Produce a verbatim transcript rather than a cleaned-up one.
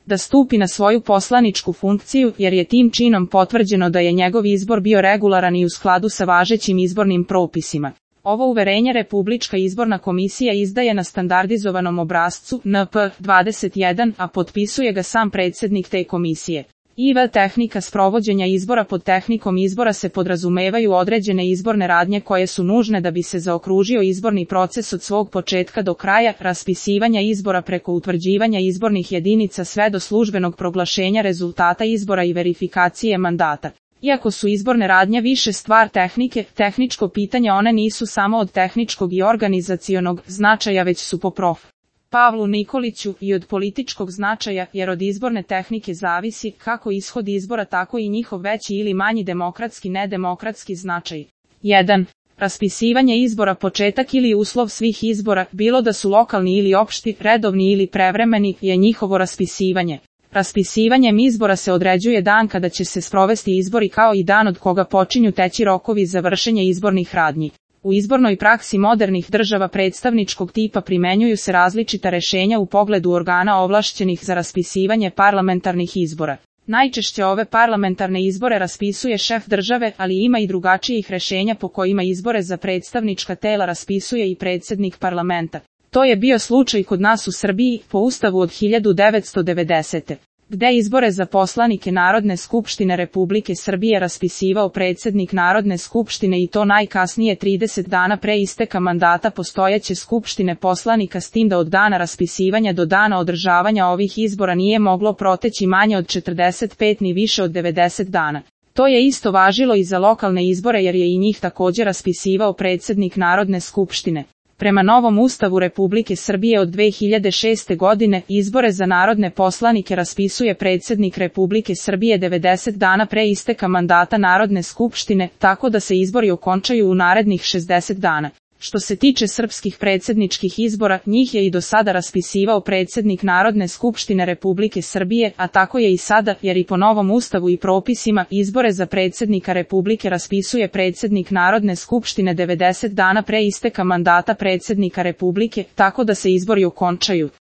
da stupi na svoju poslaničku funkciju, jer je tim činom potvrđeno da je njegov izbor bio regularan i u skladu sa važećim izbornim propisima. Ovo uverenje Republička izborna komisija izdaje na standardizovanom obrascu N P dvadeset jedan, a potpisuje ga sam predsjednik te komisije. I V tehnika sprovođenja izbora. Pod tehnikom izbora se podrazumevaju određene izborne radnje koje su nužne da bi se zaokružio izborni proces od svog početka do kraja, raspisivanja izbora preko utvrđivanja izbornih jedinica sve do službenog proglašenja rezultata izbora i verifikacije mandata. Iako su izborne radnje više stvar tehnike, tehničko pitanje, one nisu samo od tehničkog i organizacionog značaja, već su po prof. Pavlu Nikoliću i od političkog značaja, jer od izborne tehnike zavisi kako ishod izbora, tako i njihov veći ili manji demokratski nedemokratski značaj. jedan. Raspisivanje izbora. Početak ili uslov svih izbora, bilo da su lokalni ili opšti, redovni ili prevremeni, je njihovo raspisivanje. Raspisivanjem izbora se određuje dan kada će se sprovesti izbori, kao i dan od koga počinju teći rokovi za vršenje izbornih radnji. U izbornoj praksi modernih država predstavničkog tipa primenjuju se različita rešenja u pogledu organa ovlašćenih za raspisivanje parlamentarnih izbora. Najčešće ove parlamentarne izbore raspisuje šef države, ali ima i drugačijih rešenja po kojima izbore za predstavnička tela raspisuje i predsjednik parlamenta. To je bio slučaj kod nas u Srbiji po Ustavu od hiljadu devetsto devedesete. gde izbore za poslanike Narodne skupštine Republike Srbije raspisivao predsjednik Narodne skupštine, i to najkasnije trideset dana pre isteka mandata postojeće skupštine poslanika, s tim da od dana raspisivanja do dana održavanja ovih izbora nije moglo proteći manje od četrdeset pet ni više od devedeset dana. To je isto važilo i za lokalne izbore, jer je i njih također raspisivao predsjednik Narodne skupštine. Prema novom Ustavu Republike Srbije od dve hiljade šeste. godine, izbore za narodne poslanike raspisuje predsjednik Republike Srbije devedeset dana pre isteka mandata Narodne skupštine, tako da se izbori okončaju u narednih šezdeset dana. Što se tiče srpskih predsjedničkih izbora, njih je i do sada raspisivao predsjednik Narodne skupštine Republike Srbije, a tako je i sada, jer i po novom Ustavu i propisima, izbore za predsjednika Republike raspisuje predsjednik Narodne skupštine devedeset dana pre isteka mandata predsjednika Republike, tako da se izbori okončaju.